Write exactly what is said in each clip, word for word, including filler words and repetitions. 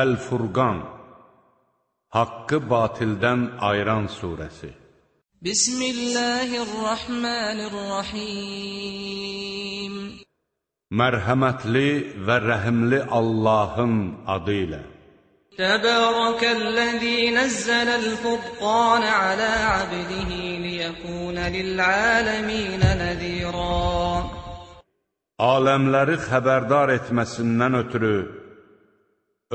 Əl-Furqan, haqqı batildən ayıran surəsi. Bismillahirrahmanirrahim. Mərhəmətli və rəhimli Allahın adı ilə. Təbərəkəl-ləzî nəzzələl-furqan alə abdihi liyəkûnə lil'aləmînə nəzîrən. Aləmləri xəbərdar etməsindən ötürü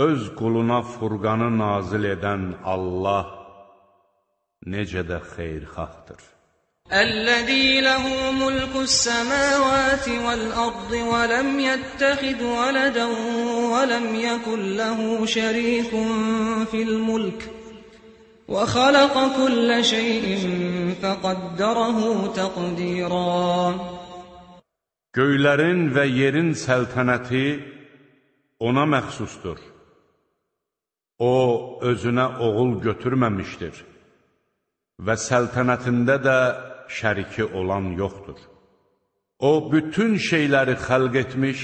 öz quluna Furqanı nazil edən Allah necə də xeyirxahdır. Əl-ləzî ləhu mulkus-səmâvâti vəl-ardı və ləm yəttəxid vələdən və ləm yəkun ləhu şərîkun fil-mulk və xaləqə kullə şeyin fəqəddərəhu təqdirən. Göylərin və yerin səltənəti ona məxsusdur. O, özünə oğul götürməmişdir və səltənətində də şəriki olan yoxdur. O, bütün şeyləri xəlq etmiş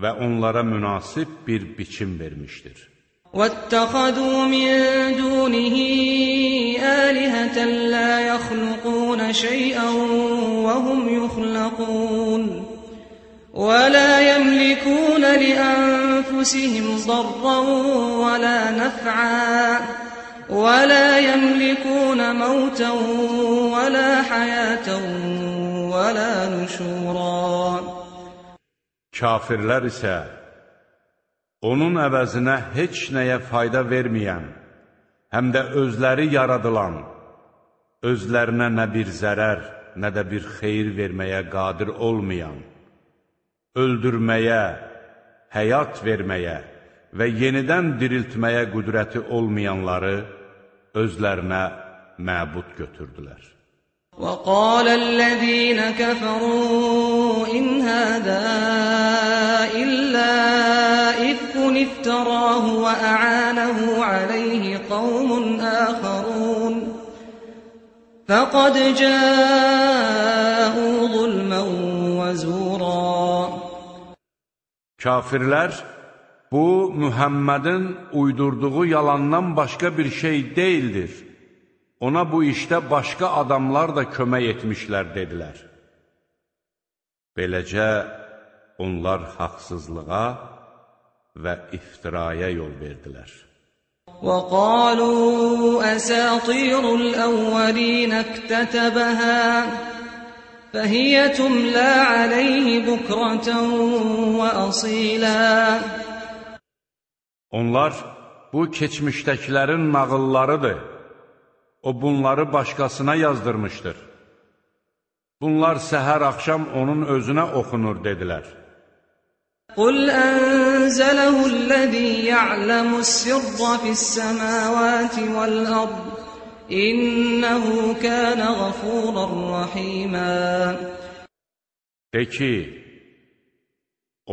və onlara münasib bir biçim vermişdir. وَاتَّخَذُوا مِن دُونِهِ آلِهَةً لَا يَخْلُقُونَ شَيْئًا وَهُمْ يُخْلَقُونَ وَلَا يَمْلِكُونَ لِأَنفُسِهِمْ ضَرًّا وَلَا نَفْعًا وَلَا يَمْلِكُونَ مَوْتًا وَلَا حَيَاةً وَلَا نُشُورًا. Kafirlər isə onun əvəzinə heç nəyə fayda verməyən, həm də özləri yaradılan, özlərinə nə bir zərər, nə də bir xeyir verməyə qadir olmayan, öldürməyə, həyat verməyə və yenidən diriltməyə qüdrəti olmayanları özlərinə məbud götürdülər. وَقَالَ الَّذِينَ كَفَرُوا إِنْ هَذَا إِلَّا إِفْكٌ افْتَرَاهُ وَأَعَانَهُ عَلَيْهِ قَوْمٌ آخَرُونَ فَقَدْ جَاءُوا ظُلْمًا وَزُورًا. Kafirlər, bu, Mühəmmədin uydurduğu yalandan başqa bir şey deyildir. Ona bu işdə başqa adamlar da kömək etmişlər, dedilər. Beləcə, onlar haqsızlığa və iftiraya yol verdilər. وَقَالُوا أَسَاطِيرُ الْأَوَّلِينَ اكْتَتَبَهَا فَهِيَ تُمْلَى عَلَيْهِ بُكْرَةً وَأَصِيلًا. Onlar, bu keçmişdəkilərin nağıllarıdır. O bunları başqasına yazdırmışdır. Bunlar səhər axşam onun özünə oxunur, dedilər. قُلْ أَنزَلَهُ الَّذِي يَعْلَمُ السِّرَّ فِي السَّمَاوَاتِ وَالْأَرْضِ إِنَّهُ كَانَ غَفُورًا رَحِيمًا. De ki,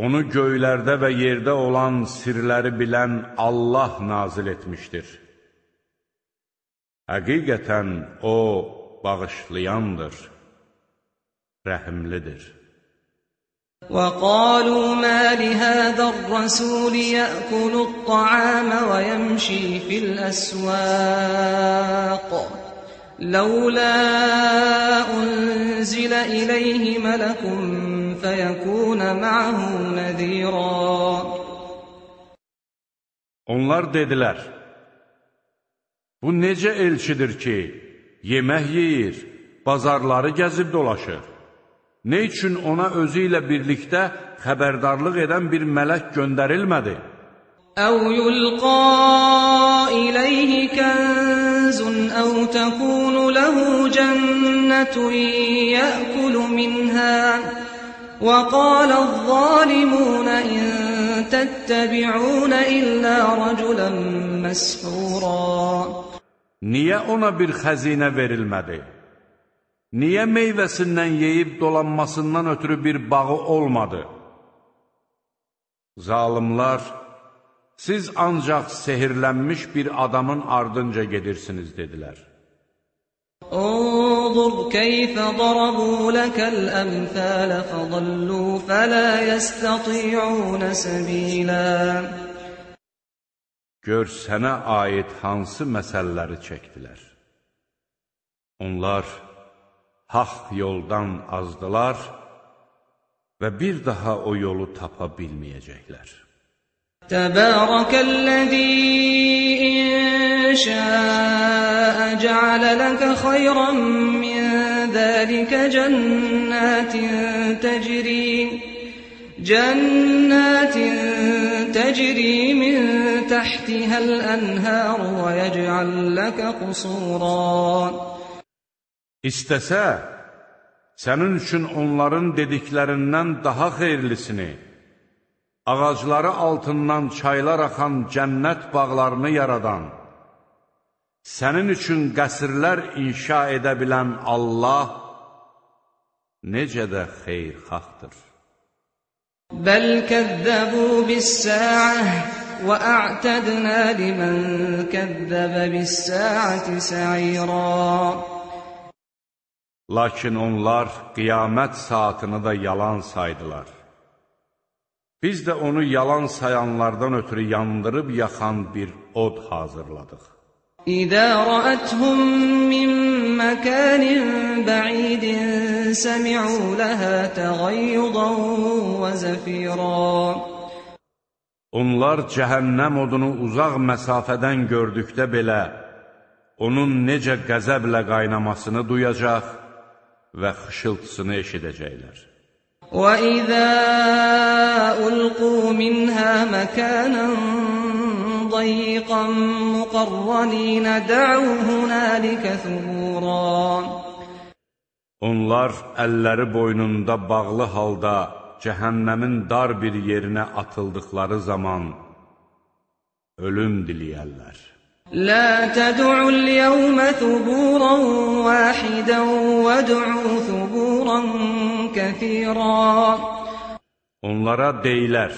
onu göylərdə və yerdə olan sirləri bilən Allah nazil etmişdir. Həqiqətən O, bağışlayandır, rəhimlidir. وَقَالُوا مَا لِهَذَا الرَّسُولِ يَأْكُلُ الطَّعَامَ وَيَمْشِي فِي الْأَسْوَاقِ لَوْلَا أُنْزِلَ إِلَيْهِ مَلَكٌ فَيَكُونَ مَعَهُ نَذِيرًا. Onlar dedilər, bu necə elçidir ki, yemək yeyir, bazarları gəzib dolaşır? Nə üçün ona özü ilə birlikdə xəbərdarlıq edən bir mələk göndərilmədi? أَوْ يُلْقَى إِلَيْهِ كَنْزٌ أَوْ تَكُونُ لَهُ جَنَّةٌ يَأْكُلُ مِنْهَا وَقَالَ الظَّالِمُونَ إِنْ تَتَّبِعُونَ إِلَّا رَجُلًا مَسْحُورًا. Niyə ona bir xəzinə verilmədi? Niyə meyvəsindən yeyib dolanmasından ötürü bir bağı olmadı? Zalimlar, siz ancaq sehirlənmiş bir adamın ardınca gedirsiniz, dedilər. انظر كيف ضربوا لك الأمثال فضلوا فلا يستطيعون سبيلا. gör sənə aid hansı məsələləri çəkdilər. Onlar haqq yoldan azdılar və bir daha o yolu tapa bilməyəcəklər. Təbərəkəl-ləzî in şəə cəalə ləkə xayran min zəlikə cənnətin təcri cənnətin təcri min təhtihəl ənhər və yəcəl ləkə qusuran. İstəsə, sənin üçün onların dediklərindən daha xeyirlisini, ağacları altından çaylar axan cənnət bağlarını yaradan, sənin üçün qəsrlər inşa edə bilən Allah necə də xeyirxahdır. Bəl kəzzəbu bis-sə'ə və a'tədnə limən kəzzəbə bis-sə'əti sə'irən. Lakin onlar qiyamət saatını da yalan saydılar. Biz də onu yalan sayanlardan ötürü yandırıb yaxan bir od hazırladıq. İzə rəəthum min məkənin bə'idin səmi'u ləhə təğayyudan və zəfiran. Onlar cəhənnəm odunu uzaq məsafədən gördükdə belə, onun necə qəzəblə qaynamasını duyacaq və xışıltısını eşidəcəklər. وَإِذَا أُلْقُوا مِنْهَا مَكَانًا ضَيِّقًا مُقَرَّنِينَ دَعَوْا هُنَالِكَ ثُبُورًا. Onlar əlləri boynunda bağlı halda cəhənnəmin dar bir yerinə atıldıqları zaman ölüm diləyərlər. لا تدعوا اليوم ثبورا واحدا وادعوا ثبورا كثيرا. Onlara deyilər,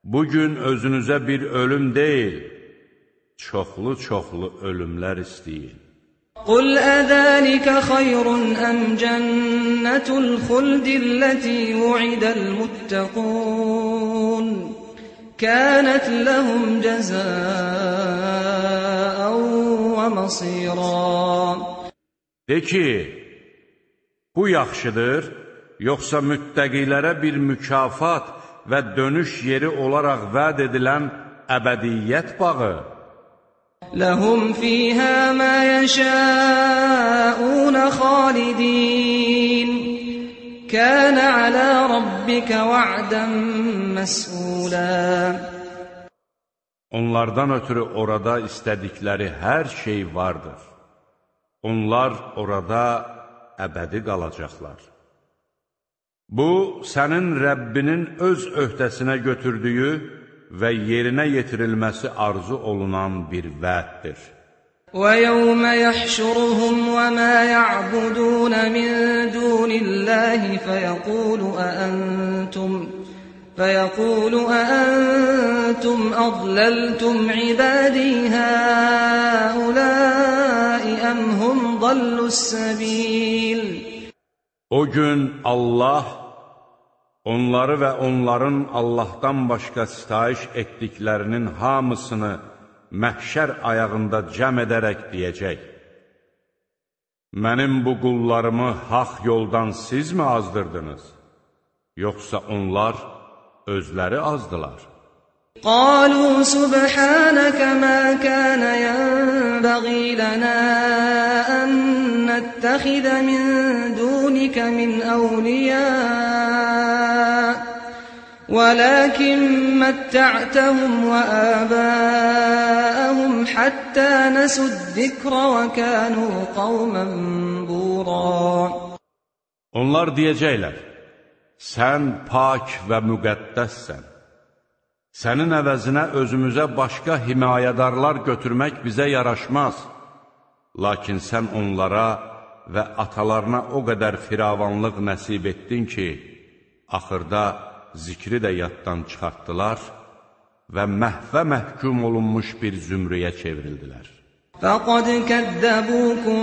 bugün özünüzə bir ölüm deyil, çoxlu-çoxlu ölümlər istəyin. قل أذلك خير أم جنة الخلد التي وعد المتقون كانت لهم جزاء ومصيرا. De ki, bu yaxşıdır, yoxsa müttəqilərə bir mükafat və dönüş yeri olaraq vəd edilən əbədiyyət bağı? لهم فيها ما يشاءون خالدين كان على ربك وعدا مسئولا. Onlardan ötürü orada istədikləri hər şey vardır. Onlar orada əbədi qalacaqlar. Bu, sənin Rəbbinin öz öhdəsinə götürdüyü və yerinə yetirilməsi arzu olunan bir vəddir. وَيَوْمَ يَحْشُرُهُمْ وَمَا يَعْبُدُونَ مِنْ دُونِ اللَّهِ فَيَقُولُ أَأَنْتُمْ فَيَقُولُ أَأَنْتُمْ أَضْلَلْتُمْ عِبَادِي هَؤُلَاءِ أَمْ هُمْ ضَلُّوا السَّبِيلِ. O gün Allah onları və onların Allahdan başqa sitayiş etdiklərinin hamısını məhşər ayağında cəm edərək deyəcək: Mənim bu qullarımı haq yoldan siz mi azdırdınız? Yoxsa onlar özləri azdılar? قالوا سبحانك ما كان ينبغي لنا أن نتخذ من دونك من أولياء ولكن متعتهم وآباءهم حتى نسوا الذكر وكانوا قوما بورا. Onlar deyəcəklər: Sən pak və müqəddəssən. Sənin əvəzinə özümüzə başqa himayədarlar götürmək bizə yaraşmaz. Lakin sən onlara və atalarına o qədər firavanlıq nəsib etdin ki, axırda zikri də yaddan çıxartdılar və məhvə məhkum olunmuş bir zümrüyə çevrildilər. فَقَدْ كَذَّبُوكُمْ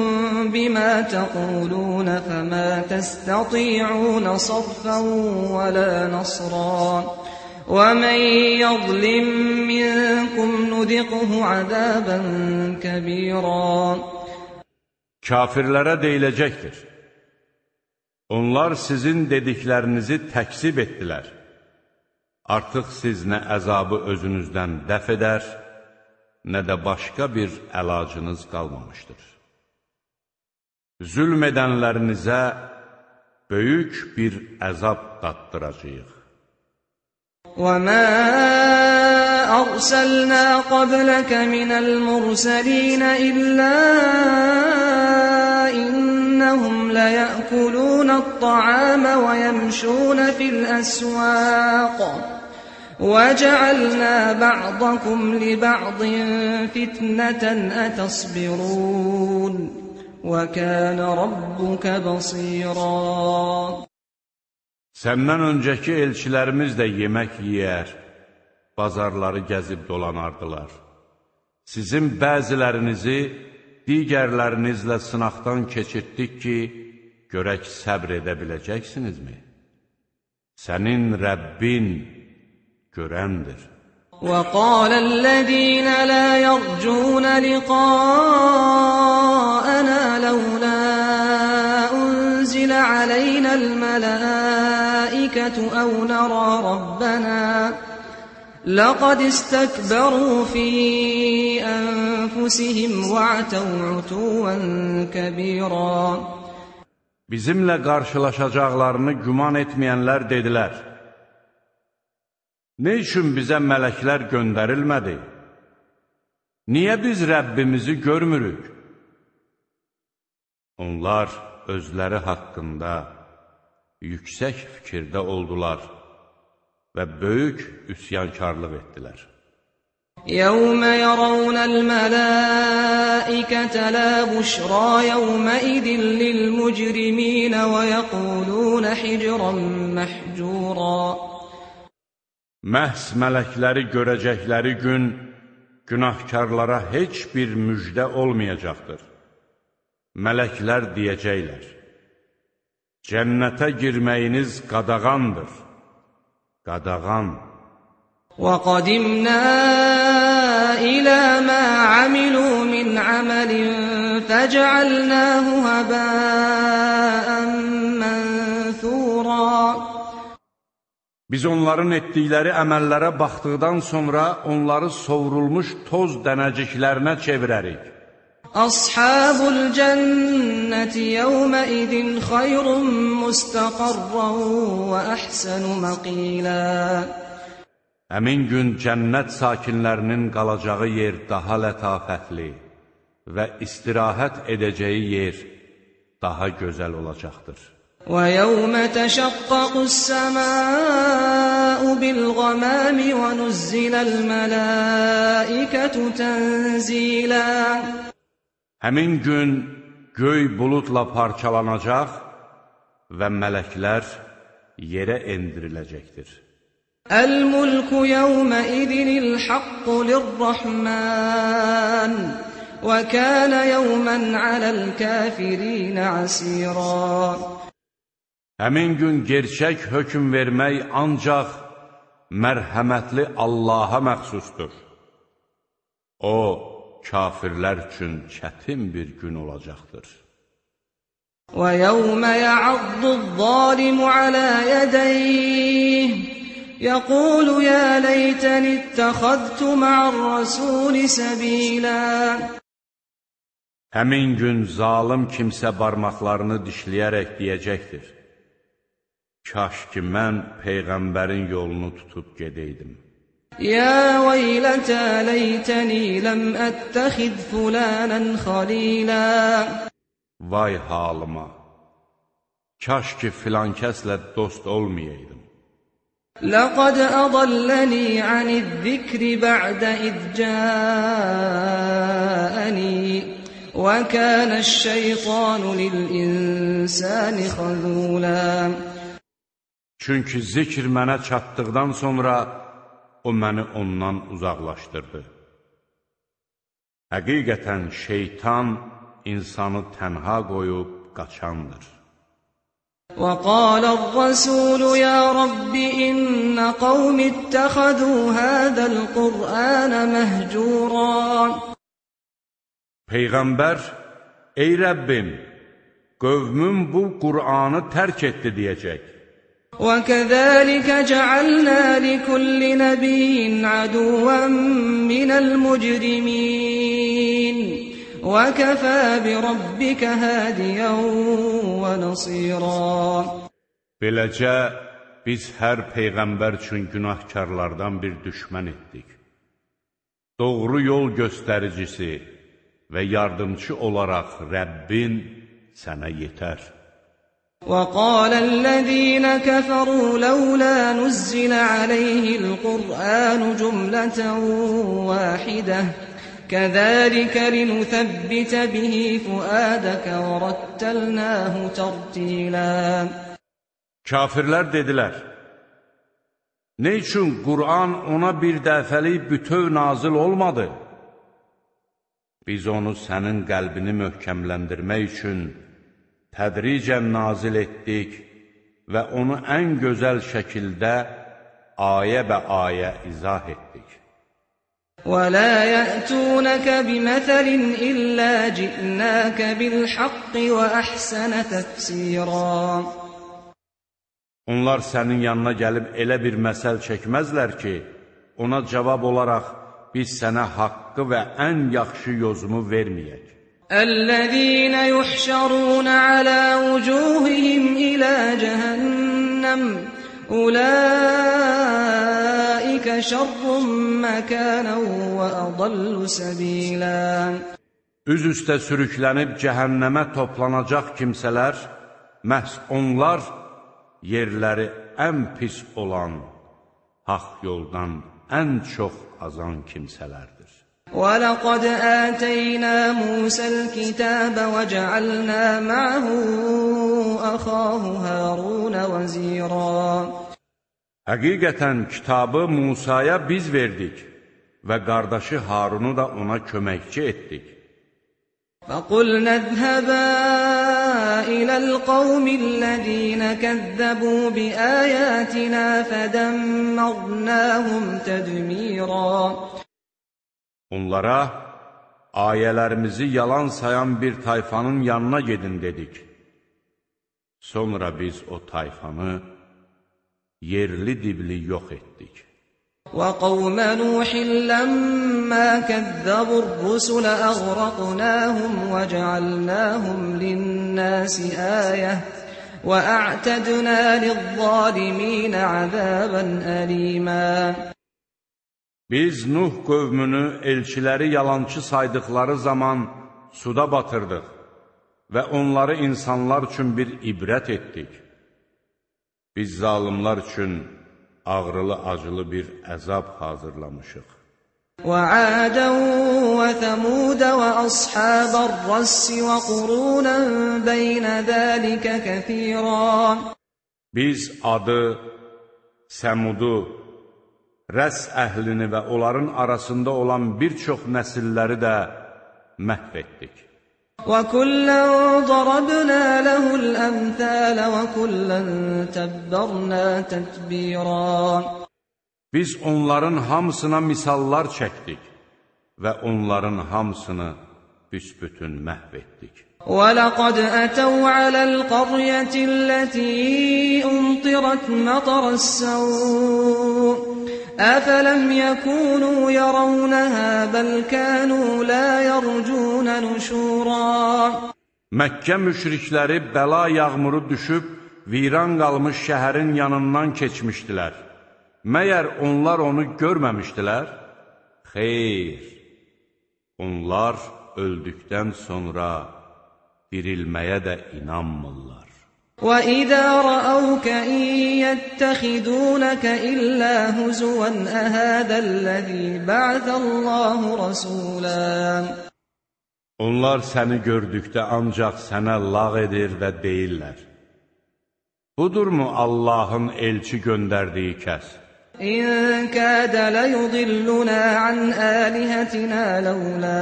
بِمَا تَقُولُونَ فَمَا تَسْتَطِيعُونَ صَرْفًا وَلَا نَصْرًا وَمَنْ يَظْلِمْ مِنْكُمْ نذقه عذابا كبيرا. Kafirlərə deyiləcəkdir: onlar sizin dediklərinizi təksib etdilər. Artıq siz nə əzabı özünüzdən dəf edər, nə də başqa bir əlacınız qalmamışdır. Zülm edənlərinizə böyük bir əzab daddıracağıq. وَمَا أَرْسَلْنَا قَبْلَكَ مِنَ الْمُرْسَلِينَ إِلَّا إِنَّهُمْ لَيَأْكُلُونَ الطَّعَامَ وَيَمْشُونَ فِي الْأَسْوَاقِ وَجَعَلْنَا بَعْضَكُمْ لِبَعْضٍ فِتْنَةً أَتَصْبِرُونَ وَكَانَ رَبُّكَ بَصِيرًا. Səndən öncəki elçilərimiz də yemək yeyər, bazarları gəzib dolanardılar. Sizin bəzilərinizi digərlərinizlə sınaqdan keçirtdik ki, görək səbr edə biləcəksinizmi? Sənin Rəbbin görəndir. وَقَالَ الَّذِينَ لَا يَرْجُونَ لِقَاءَنَا لَوْلَا أُنزِلَ عَلَيْنَا الْمَلَائِكَةُ أَوْ نَرَى رَبَّنَا لَقَدِ اسْتَكْبَرُوا فِي أَنفُسِهِمْ وَعَتَوْا عُتُوًّا كَبِيرًا. Bizimlə qarşılaşacaqlarını güman etməyənlər dedilər: nə üçün bizə mələklər göndərilmədi? Niyə biz Rəbbimizi görmürük? Onlar özləri haqqında yüksək fikirdə oldular və böyük üsyankarlıq etdilər. يَوْمَ يَرَوْنَ الْمَلَائِكَةَ لَا بُشْرَى يَوْمَئِذٍ لِلْمُجْرِمِينَ وَيَقُولُونَ حِجْرًا مَحْجُورًا. Məhz mələkləri görəcəkləri gün günahkarlara heç bir müjdə olmayacaqdır. Mələklər deyəcəklər: cənnətə girməyiniz qadağandır. Qadağan. وَقَدِمْنَا إِلَى مَا عَمِلُوا مِنْ عَمَلٍ فَجَعَلْنَاهُ هَبَاءً مَنْثُورًا. Biz onların etdikləri əməllərə baxdıqdan sonra onları sovrulmuş toz dənəciklərinə çevirərik. Ashabul cenneti yevmeidin xayrun mustaqarran və əhsənu məqila. Həmin gün cənnət sakinlərinin qalacağı yer daha lətafətli və istirahət edəcəyi yer daha gözəl olacaqdır. وَيَوْمَ تَشَقَّقُ السَّمَاءُ بِالْغَمَامِ وَنُزِّلَ الْمَلَائِكَةُ تَنزِيلًا. Həmin gün göy buludla parçalanacaq və mələklər yerə endiriləcəkdir. الْمُلْكُ يَوْمَئِذٍ الْحَقُّ لِلرَّحْمَنِ وَكَانَ يَوْمًا عَلَى الْكَافِرِينَ عَسِيرًا. Həmin gün gerçək hökm vermək ancaq mərhəmətli Allaha məxsusdur. O, kafirlər üçün çətin bir gün olacaqdır. وَيَوْمَ يَعَضُّ الظَّالِمُ عَلَى يَدَيْهِ يَقُولُ يَا لَيْتَنِي اتَّخَذْتُ مَعَ الرَّسُولِ سَبِيلًا. Həmin gün zalım kimsə barmaqlarını dişləyərək deyəcəkdir: kaş ki, mən Peyğəmbərin yolunu tutub gedəydim. يَا وَيْلَتَى لَيْتَنِي لَمْ أَتَّخِذْ فُلَانًا خَلِيلًا. Vay halıma! Kaş ki, filan kəslə dost olmayaydım. لَقَدْ أَضَلَّنِي عَنِ الذِّكْرِ بَعْدَ إِذْ جَاءَنِي وَكَانَ الشَّيْطَانُ لِلْإِنسَانِ خَذُولًا. Çünki zikr mənə çatdıqdan sonra o məni ondan uzaqlaşdırdı. Həqiqətən şeytan insanı tənha qoyub qaçandır. وقال الرسول يا رب إن قوم اتخذوا هذا القرآن مهجورا. Peyğəmbər, ey Rəbbim, qövmüm bu Qur'anı tərk etdi deyəcək. وكذلك جعلنا لكل نبي عدوا من المجرمين وكفى بربك هاديا ونصيرا. Beləcə biz hər peyğəmbər üçün günahkarlardan bir düşmən etdik. Doğru yol göstəricisi və yardımcı olaraq Rəbbin sənə yetər. وقال الذين كفروا لولا نزل عليه القرآن جملة واحدة كذلك لنثبت به فؤادك ورتلناه ترتيلا. Kafirlər dedilər, nə üçün Qur'an ona bir dəfəlik bütöv nazil olmadı? Biz onu sənin qəlbini möhkəmləndirmək üçün tədricən nazil etdik və onu ən gözəl şəkildə ayə bə ayə izah etdik. وَلَا يَأْتُونَكَ بِمَثَلٍ إِلَّا جِئْنَاكَ بِالْحَقِّ وَأَحْسَنَ تَفْسِيرًا. Onlar sənin yanına gəlib elə bir məsəl çəkməzlər ki, ona cavab olaraq biz sənə haqqı və ən yaxşı yozumu verməyək. الذين يحشرون على وجوههم إلى جهنم أولئك شر مكانا وأضل سبيلا. Üz üstə sürüklənib cəhənnəmə toplanacaq kimsələr, məhz onlar yerləri ən pis olan, haqq yoldan ən çox azan kimsələrdir. وَلَقَدْ آتَيْنَا مُوسَى الْكِتَابَ وَجَعَلْنَا مَعَهُ أَخَاهُ هَارُونَ وَزِيرًا. Həqiqətən kitabı Musaya biz verdik və qardaşı Harunu da ona köməkçi etdik. فَقُلْنَا اذْهَبَا إِلَى الْقَوْمِ الَّذِينَ كَذَّبُوا بِآيَاتِنَا فَدَمَّرْنَاهُمْ تَدْمِيرًا. Onlara ayələrimizi yalan sayan bir tayfanın yanına gedin dedik. Sonra biz o tayfanı yerli dibli yox etdik. وَقَوْمَ نُوحٍ لَمَّا كَذَّبُوا الرُّسُلَ أَغْرَقْنَاهُمْ وَجَعَلْنَاهُمْ لِلنَّاسِ آيَةً وَأَعْتَدْنَا لِلظَّالِمِينَ عَذَابًا أَلِيمًا. Biz Nuh qövmünü elçiləri yalançı saydıqları zaman suda batırdıq və onları insanlar üçün bir ibrət etdik. Biz zalimlar üçün ağrılı-acılı bir əzab hazırlamışıq. وَعَادًا وَثَمُودَ وَأَصْحَابَ الرَّسِّ وَقُرُونًا بَيْنَ ذَلِكَ كَثِيرًا. Biz Adı, Səmudu, Rəs əhlini və onların arasında olan bir çox nəsilləri də məhv etdik. وَكُلًّا ضَرَبْنَا لَهُ الْأَمْثَالَ وَكُلًّا تَبَّرْنَا تَتْبِيرًا. Biz onların hamısına misallar çəkdik və onların hamısını büsbütün məhv etdik. وَلَقَدْ أَتَوْا عَلَى الْقَرْيَةِ الَّتِي أُمْطِرَتْ مَطَرَ السَّوْءِ أَفَلَمْ يَكُونُوا يَرَوْنَهَا بَلْ كَانُوا لَا يَرْجُونَ نُشُورًا. Məkkə müşrikləri bəla yağmuru düşüb, viran qalmış şəhərin yanından keçmişdilər. Məyər onlar onu görməmişdilər? Xeyr, onlar öldükdən sonra dirilməyə də inanmırlar. وَإِذَا رَأَوْكَ إِن يَتَّخِذُونَكَ إِلَّا هُزُوًا أَهَذَا الَّذِي بَعَثَ اللَّهُ رَسُولًا. Onlar səni gördükdə ancaq sənə lağ edir və deyirlər: Budurmu Allahın elçi göndərdiyi kəs? إِن كَادَ لَيُضِلُّنَا عَنْ آلِهَتِنَا لَوْلَا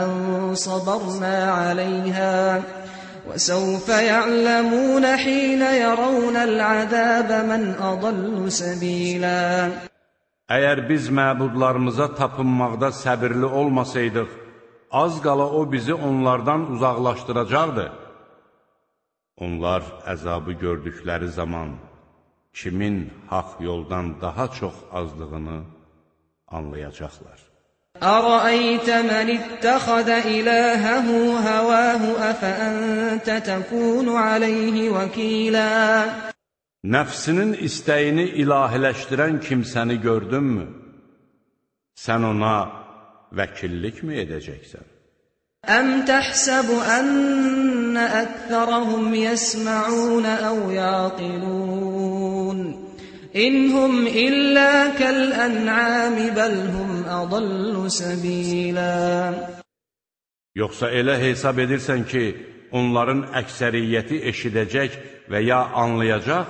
أَن صَبَرْنَا عَلَيْهَا وَسَوْفَ يَعْلَمُونَ حِينَ يَرَوْنَ الْعَذَابَ مَنْ أَضَلُّ سَبِيلًا. Əgər biz məbudlarımıza tapınmaqda səbirli olmasaydıq, az qala o bizi onlardan uzaqlaşdıracaqdı. Onlar əzabı gördükləri zaman kimin haqq yoldan daha çox azdığını anlayacaqlar. أَرَأَيْتَ مَنِ اتَّخَذَ إِلَٰهَهُ هَوَاهُ أَفَأَنتَ تَكُونُ عَلَيْهِ وَكِيلًا. Nəfsinin istəyini ilahiləşdirən kimsəni gördünmü? Sən ona vəkillik mi edəcəksən? أَمْ تَحْسَبُ أَنَّ أَكْثَرَهُمْ يَسْمَعُونَ أَوْ يَعْقِلُونَ إِنْ هُمْ إِلَّا كَالْأَنْعَامِ بَلْ هُمْ أَضَلُّ سَبِيلًا. Yoxsa elə hesab edirsən ki, onların əksəriyyəti eşidəcək və ya anlayacaq?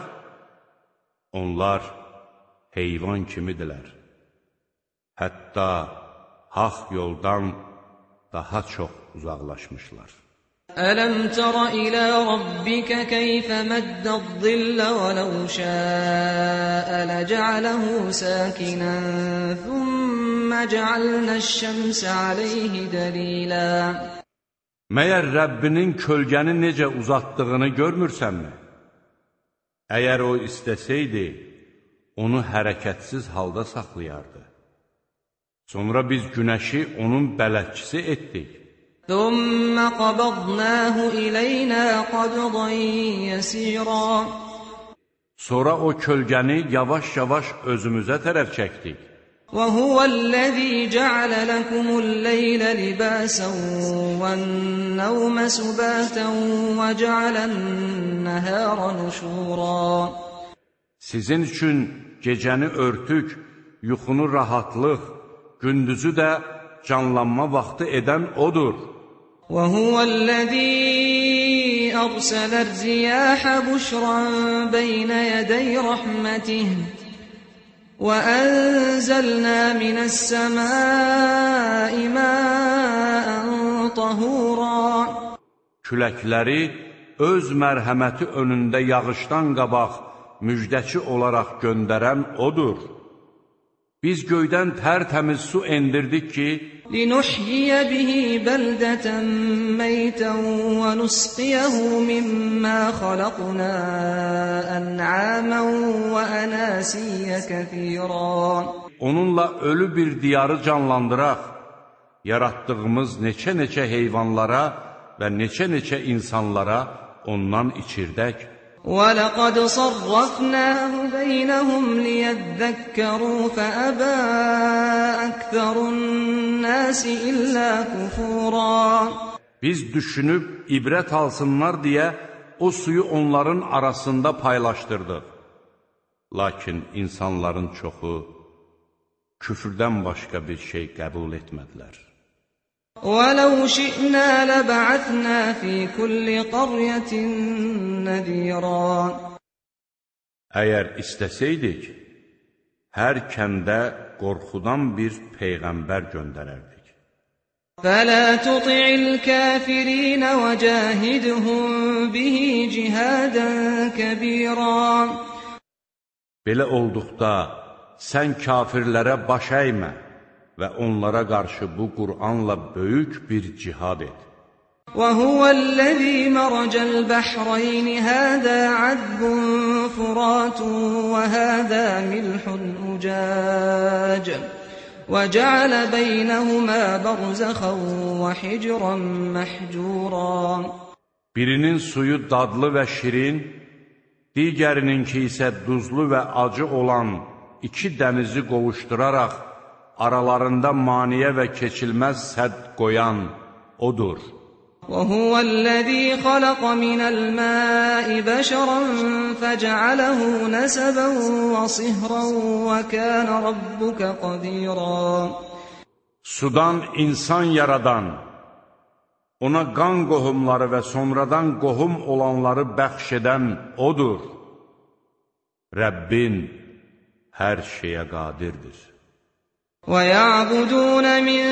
Onlar heyvan kimidirlər. Hətta haqq yoldan daha çox uzaqlaşmışlar. أَلَمْ تَرَ إِلَى رَبِّكَ كَيْفَ مَدَّ الظِّلَّ وَلَوْ شَاءَ لَجَعَلَهُ سَاكِنًا ثُمَّ جَعَلْنَا الشَّمْسَ عَلَيْهِ دَلِيلًا. Məyər Rəbbinin kölgəni necə uzatdığını görmürsənmi? Əgər o istəsəydi, onu hərəkətsiz halda saxlayardı. Sonra biz günəşi onun bələdçisi etdik. ثُمَّ قَبَضْنَاهُ إِلَيْنَا قَبْضًا يَسِيرًا. Sonra o kölgəni yavaş-yavaş özümüzə tərəf çəkdik. وَهُوَ الَّذِي جَعَلَ لَكُمُ اللَّيْلَ لِبَاسًا وَالنَّوْمَ سُبَاتًا وَجَعَلَ النَّهَارَ نُشُورًا. Sizin üçün gecəni örtük, yuxunu rahatlıq, gündüzü də canlanma vaxtı edən odur. وَهُوَ الَّذِي أَرْسَلَ الرِّيَاحَ بُشْرًا بَيْنَ يَدَيْ رَحْمَتِهِ وَأَنزَلْنَا مِنَ السَّمَاءِ مَاءً طَهُورًا. Küləkləri öz mərhəməti önündə yağışdan qabaq müjdəçi olaraq göndərən odur. Biz göydən tərtəmiz su endirdik ki, لِنُحْيِيَ بِهِ بَلْدَةً مَيْتًا وَنُسْقِيَهُ مِمَّا خَلَقْنَا أَنْعَامًا وَأَنَاسِيَّ كَثِيرًا. Onunla ölü bir diyarı canlandıraq, yaratdığımız neçə-neçə heyvanlara və neçə-neçə insanlara ondan içirdək. وَلَقَدْ صَرَّفْنَاهُ بَيْنَهُمْ لِيَذَّكَّرُوا فَأَبَى أَكْثَرُ النَّاسِ إِلَّا كُفُورًا. Biz düşünüb ibrət alsınlar deyə o suyu onların arasında paylaşdırdıq. Lakin insanların çoxu küfrdən başqa bir şey qəbul etmədilər. وَلَوْ شِئْنَا لَبَعَثْنَا فِي كُلِّ قَرْيَةٍ نَذِيرًا. Əgər istəsəydik, hər kəndə qorxudan bir peyğəmbər göndərərdik. فَلَا تُطِعِ الْكَافِرِينَ وَجَاهِدْهُمْ بِهِ جِهَادًا كَبِيرًا. Belə olduqda, sən kafirlərə baş əymə və onlara qarşı bu Qur'anla böyük bir cihad et. وَهُوَ الَّذِي مَرَجَ الْبَحْرَيْنِ هَذَا عَذْبٌ فُرَاتٌ وَهَذَا مِلْحٌ أُجَاجٌ وَجَعَلَ بَيْنَهُمَا بَرْزَخًا وَحِجْرًا مَحْجُورًا. Birinin suyu dadlı və şirin, digərininki isə duzlu və acı olan iki dənizi qovuşduraraq, aralarında maniyə və keçilməz sədd qoyan odur. وَهُوَ الَّذِي خَلَقَ مِنَ الْمَاءِ بَشَرًا فَجَعَلَهُ نَسَبًا وَصِهْرًا وَكَانَ رَبُّكَ قَدِيرًا. Sudan insan yaradan, ona qan qohumları və sonradan qohum olanları bəxş edən odur. Rəbbin hər şeyə qadirdir. وَيَعْبُدُونَ مِن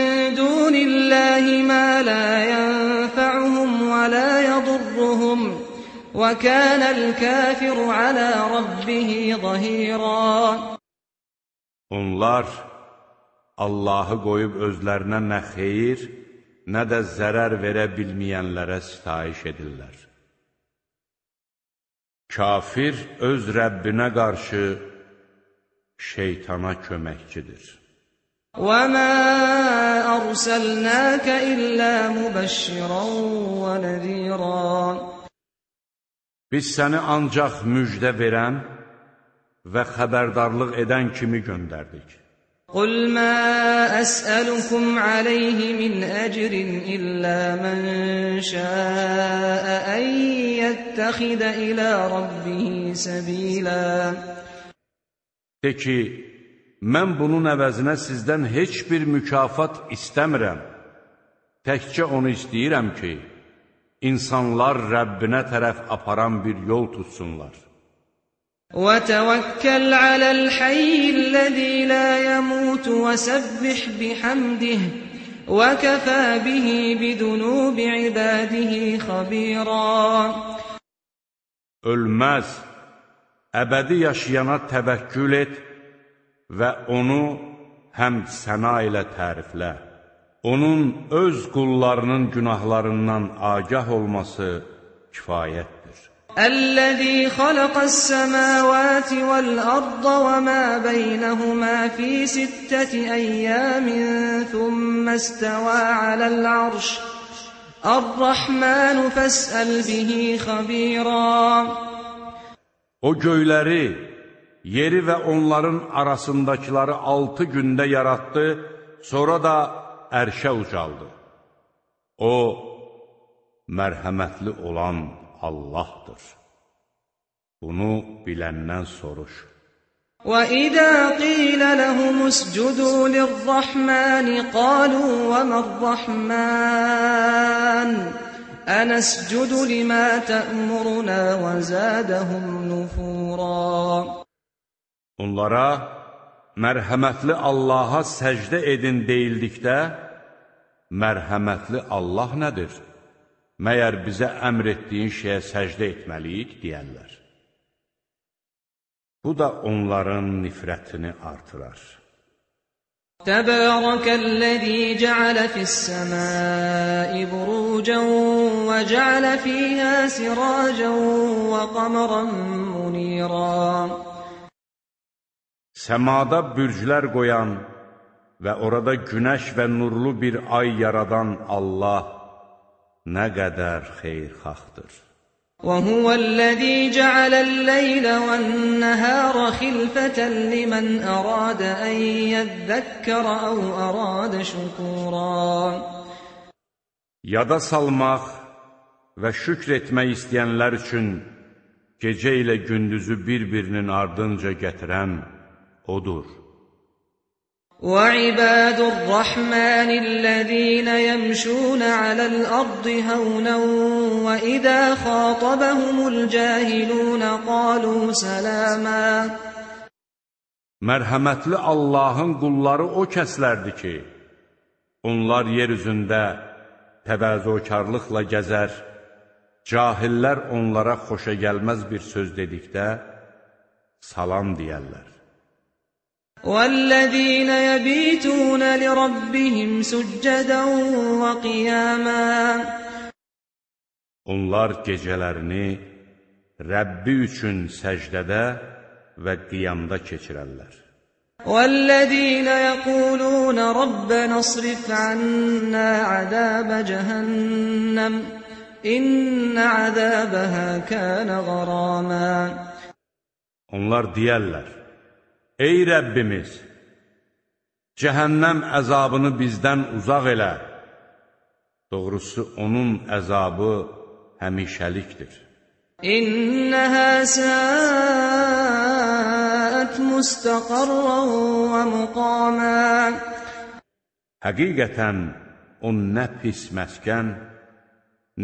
دُونِ اللَّهِ مَا لَا يَنفَعُهُمْ وَلَا يَضُرُّهُمْ يضرهم وكان الكافر على ربه ظهيرا. Onlar Allahı qoyub özlərinə nə xeyir, nə də zərər verə bilməyənlərə sitayiş edirlər. Kafir öz Rəbbinə qarşı şeytana köməkçidir. وَمَا أَرْسَلْنَاكَ إِلَّا مُبَشِّرًا وَنَذِيرًا. Biz səni ancaq müjdə verən və xəbərdarlıq edən kimi göndərdik. قُلْ مَا أَسْأَلُكُمْ عَلَيْهِ مِنْ أَجْرٍ إِلَّا مَنْ شَاءَ أَنْ يَتَّخِذَ إِلَى رَبِّهِ سَبِيلًا. De ki, mən bunun əvəzinə sizdən heç bir mükafat istəmirəm. Təkcə onu istəyirəm ki, insanlar Rəbbinə tərəf aparan bir yol tutsunlar. وَتَوَكَّلْ عَلَى الْحَيِّ الَّذِي لَا يَمُوتُ وَسَبِّحْ بِحَمْدِهِ وَكَفَى بِهِ بِذُنُوبِ عِبَادِهِ خَبِيرًا. Ölməz, əbədi yaşayana təvəkkül et və onu həmd səna ilə təriflə. Onun öz qullarının günahlarından agah olması kifayətdir. الذي خلق السماوات والأرض وما بينهما في ستة أيام ثم استوى على العرش الرحمن فاسأل به خبيرا. O göyləri, yeri və onların arasındakıları altı gündə yarattı, sonra da ərşə ucaldı. O, mərhəmətli olan Allahdır. Bunu biləndən soruş. وَإِذَا قِيلَ لَهُمُ اسْجُدُوا لِلرَّحْمَنِ قَالُوا وَمَا الرَّحْمَنُ أَنَسْجُدُ لِمَا تَأْمُرُنَا وَزَادَهُمْ نُفُورًا. Onlara mərhəmətli Allaha səcdə edin deyildikdə, mərhəmətli Allah nədir? Məyər bizə əmr etdiyin şeyə səcdə etməliyik, deyərlər. Bu da onların nifrətini artırar. Təbərəkəl-ləzî cəalə fis-səmâi burûcən və cəalə fîhâ sirâcən və qamran munîrân. Səmada bürclər qoyan və orada günəş və nurlu bir ay yaradan Allah nə qədər xeyirxahdır. وَهُوَ الَّذِي جَعَلَ اللَّيْلَ وَالنَّهَارَ خِلْفَةً لِمَنْ أَرَادَ أَنْ يَذَّكَّرَ أَوْ أَرَادَ شُكُورًا. Yada salmaq və şükr etmək istəyənlər üçün gecə ilə gündüzü bir-birinin ardınca gətirən Odur. وَعِبَادُ الرَّحْمَنِ الَّذِينَ يَمْشُونَ عَلَى الْأَرْضِ هَوْنًا وَإِذَا خَاطَبَهُمُ الْجَاهِلُونَ قَالُوا سَلَامًا. Mərhəmətli Allahın qulları o kəslərdir ki, onlar yer üzündə təvazökarlıqla gəzər, cahillər onlara xoşa gəlməz bir söz dedikdə, salam deyərlər. وَالَّذِينَ يَبِيتُونَ لِرَبِّهِمْ سُجَّدًا وَقِيَامًا. Onlar gecələrini Rəbbi üçün səcdədə və qiyamda keçirərlər. وَالَّذِينَ يَقُولُونَ رَبَّنَا اصْرِفْ عَنَّا عَذَابَ جَهَنَّمَ إِنَّ عَذَابَهَا كَانَ غَرَامًا. Onlar deyərlər: Ey Rəbbimiz, cəhənnəm əzabını bizdən uzaq elə. Doğrusu, onun əzabı həmişəlikdir. İnnəhə səət müstəqarran və müqamən. Həqiqətən, o nə pis məskən,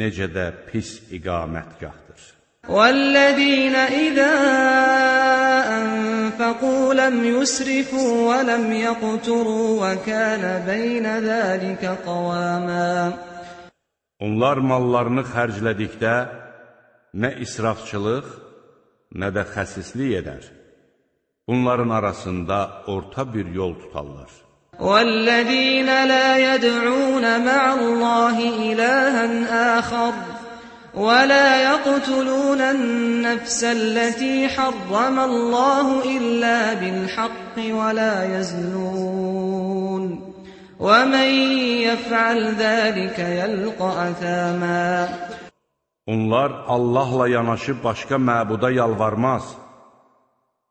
necə də pis iqamətgahdır. وَالَّذِينَ إِذَا أَنفَقُوا لَمْ يُسْرِفُوا وَلَمْ يَقْتُرُوا وَكَانَ بَيْنَ ذَلِكَ قَوَامًا. Onlar mallarını xərclədikdə nə israfçılıq, nə də xəsislik edər. Bunların arasında orta bir yol tutarlar. وَالَّذِينَ لَا يَدْعُونَ مَعَ اللَّهِ إِلَٰهًا آخَرَ وَلَا يَقْتُلُونَ النَّفْسَ الَّتِي حَرَّمَ اللَّهُ إِلَّا بِالْحَقِّ وَلَا يَزْنُونَ وَمَن يَفْعَلْ ذَٰلِكَ يَلْقَ أَثَامًا. Onlar Allahla yanaşı başqa məbuda yalvarmaz,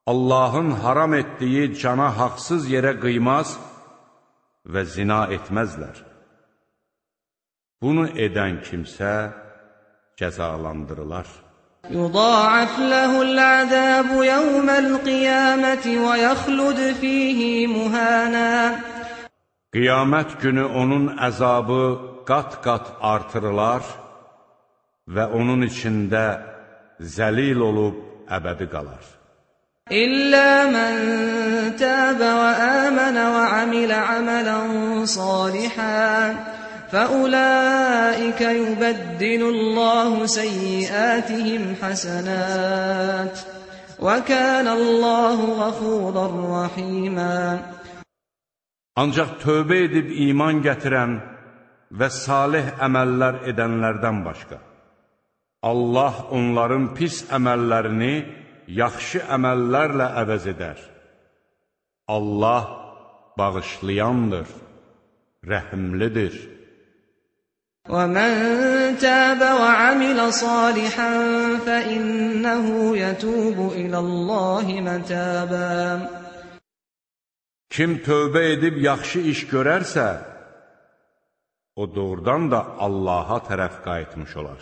Allahın haram etdiyi cana haqsız yerə qıymaz və zina etməzlər. Bunu edən kimsə cəzalandırılar. يُضَاعَفْ لَهُ الْعَذَابُ يَوْمَ الْقِيَامَةِ وَيَخْلُدْ فِيهِ مُهَانًا. Qiyamət günü onun əzabı qat-qat artırılar və onun içində zəlil olub əbədi qalar. إِلَّا مَن تَابَ وَآمَنَ وَعَمِلَ عَمَلًا صَالِحًا فَأُولَٰئِكَ يُبَدِّلُ اللَّهُ سَيِّئَاتِهِمْ حَسَنَاتٍ وَكَانَ اللَّهُ غَفُورًا رَّحِيمًا. Ancaq tövbə edib iman gətirən və salih əməllər edənlərdən başqa, Allah onların pis əməllərini yaxşı əməllərlə əvəz edər. Allah bağışlayandır, rəhimlidir. وَمَن تَابَ وَعَمِلَ صَالِحًا فَإِنَّهُ يَتُوبُ إِلَى اللَّهِ مَتَابًا. Kim tövbə edib yaxşı iş görərsə, o doğrudan da Allaha tərəf qayıtmış olar.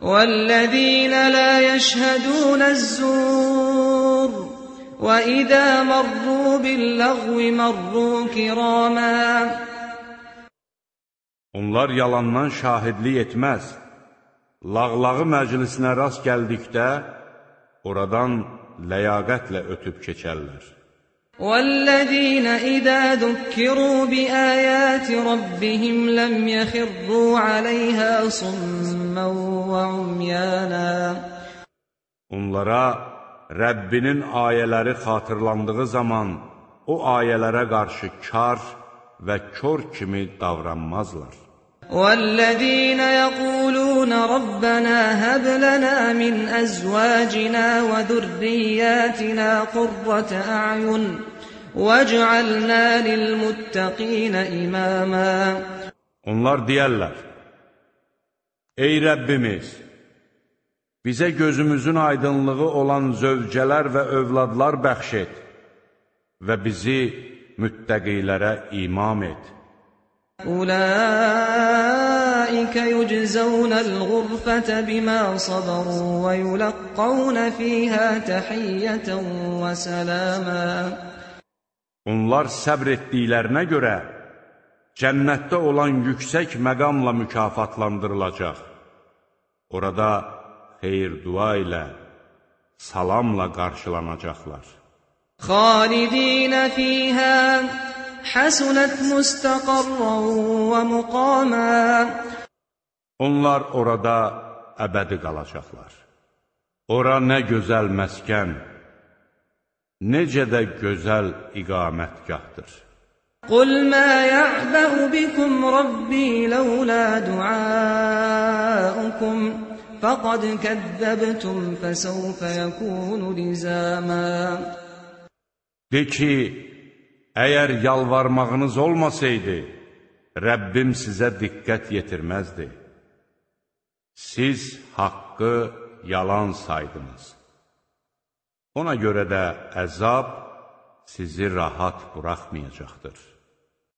وَالَّذِينَ لَا يَشْهَدُونَ الزُّورَ وَإِذَا مَرُّوا بِاللَّغْوِ مَرُّوا كِرَامًا. Onlar yalandan şahidlik etməz. Lağlağı məclisinə rast gəldikdə, oradan ləyaqətlə ötüb keçərlər. وَالَّذِينَ إِذَا ذُكِّرُوا بِآيَاتِ رَبِّهِمْ لَمْ يَخِرُّوا عَلَيْهَا صُمًّا وَعُمْيَانًا. Onlara Rəbbinin ayələri xatırlandığı zaman o ayələrə qarşı kar və kör kimi davranmazlar. وَالَّذِينَ يَقُولُونَ رَبَّنَا هَبْ لَنَا مِنْ أَزْوَاجِنَا وَذُرِّيَّاتِنَا قُرَّةَ أَعْيُنٍ وَاجْعَلْنَا لِلْمُتَّقِينَ إِمَامًا. Onlar deyərlər: Ey Rəbbimiz, bizə gözümüzün aydınlığı olan zövcələr və övladlar bəxş et və bizi müttəqilərə imam et. أُولَٰئِكَ يُجْزَوْنَ الْغُرْفَةَ بِمَا صَبَرُوا وَيُلَقَّوْنَ فِيهَا تَحِيَّةً وَسَلَامًا. Onlar səbr etdiklərinə görə cənnətdə olan yüksək məqamla mükafatlandırılacaq. Orada xeyir-dua ilə, salamla qarşılanacaqlar. خَالِدِينَ فِيهَا حَسُنَتْ مُسْتَقَرًّا وَمُقَامًا. Onlar orada əbədi qalacaqlar. Ora nə gözəl məskən, necə də gözəl iqamətgahdır. قُلْ مَا يَعْبَأُ بِكُمْ رَبِّي لَوْلَا دُعَاؤُكُمْ فَقَدْ كَذَّبْتُمْ فَسَوْفَ يَكُونُ لِزَامًا. De ki, əgər yalvarmağınız olmasaydı, Rəbbim sizə diqqət yetirməzdi. Siz haqqı yalan saydınız. Ona görə də əzab sizi rahat buraxmayacaqdır.